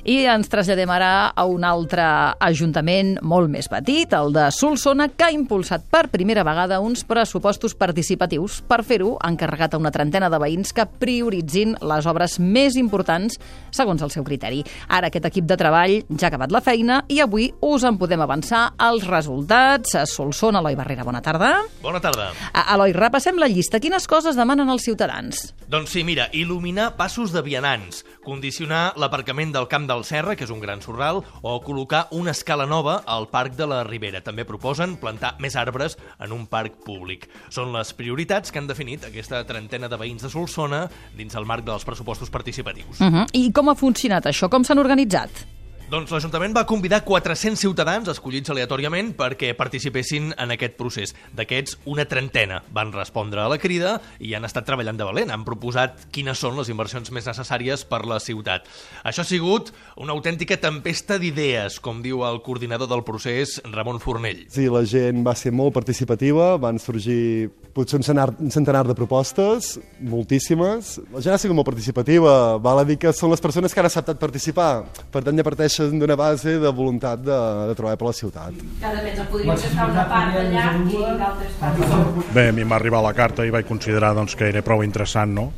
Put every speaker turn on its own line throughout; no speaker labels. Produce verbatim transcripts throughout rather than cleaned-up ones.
I ens traslladem ara a un altre ajuntament molt més petit, el de Solsona, que ha impulsat per primera vegada uns pressupostos participatius. Per fer-ho, ha encarregat a una trentena de veïns que prioritzin les obres més importants segons el seu criteri. Ara aquest equip de treball ja ha acabat la feina i avui us en podem avançar els resultats. A Solsona, Eloi Barrera, bona tarda.
Bona tarda.
Eloi, repassem la llista. Quines coses demanen els ciutadans?
Doncs sí, mira, il·luminar passos de vianants, condicionar l'aparcament del Camp del Serra, que és un gran sorral, o col·locar una escala nova al Parc de la Ribera. També proposen plantar més arbres en un parc públic. Són les prioritats que han definit aquesta trentena de veïns de Solsona dins el marc dels pressupostos participatius.
Uh-huh. I com ha funcionat això? Com s'han organitzat?
Doncs l'Ajuntament va convidar quatre-cents ciutadans escollits aleatòriament perquè participessin en aquest procés. D'aquests, una trentena van respondre a la crida i han estat treballant de valent. Han proposat quines són les inversions més necessàries per la ciutat. Això ha sigut una autèntica tempesta d'idees, com diu el coordinador del procés, Ramon Fornell.
Sí, la gent va ser molt participativa, van sorgir potser un centenar, un centenar de propostes, moltíssimes. La gent ha sigut molt participativa, val a dir que són les persones que han acceptat participar. Per tant, ja parteix d'una base de voluntat de, de treballar per la ciutat.
Cada mes en podríem estar una part allà i d'altres parts.
Bé, a mi m'ha arribat la carta i vaig considerar doncs, que era prou interessant, no?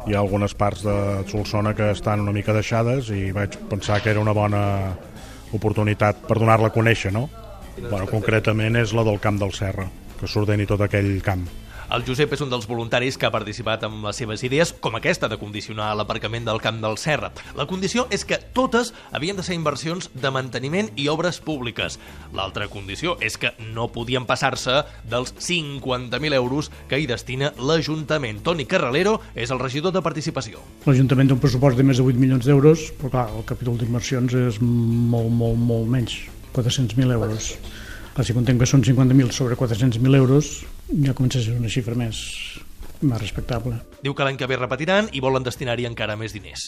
Hi ha algunes parts de Solsona que estan una mica deixades i vaig pensar que era una bona oportunitat per donar-la a conèixer, no? Bueno, concretament és la del Camp del Serra, que s'ordeni tot aquell camp.
El Josep és un dels voluntaris que ha participat amb les seves idees, com aquesta de condicionar l'aparcament del Camp del Serra. La condició és que totes havien de ser inversions de manteniment i obres públiques. L'altra condició és que no podien passar-se dels cinquanta mil euros que hi destina l'Ajuntament. Toni Carralero és el regidor de Participació.
L'Ajuntament té un pressupost de més de vuit milions d'euros, però clar, el capítol d'inversions és molt, molt, molt menys, quatre-cents mil euros. Clar, si contem que són cinquanta mil sobre quatre-cents mil euros, ja comença a ser una xifra més, més respectable.
Diu que l'any que ve repetiran i volen destinar-hi encara més diners.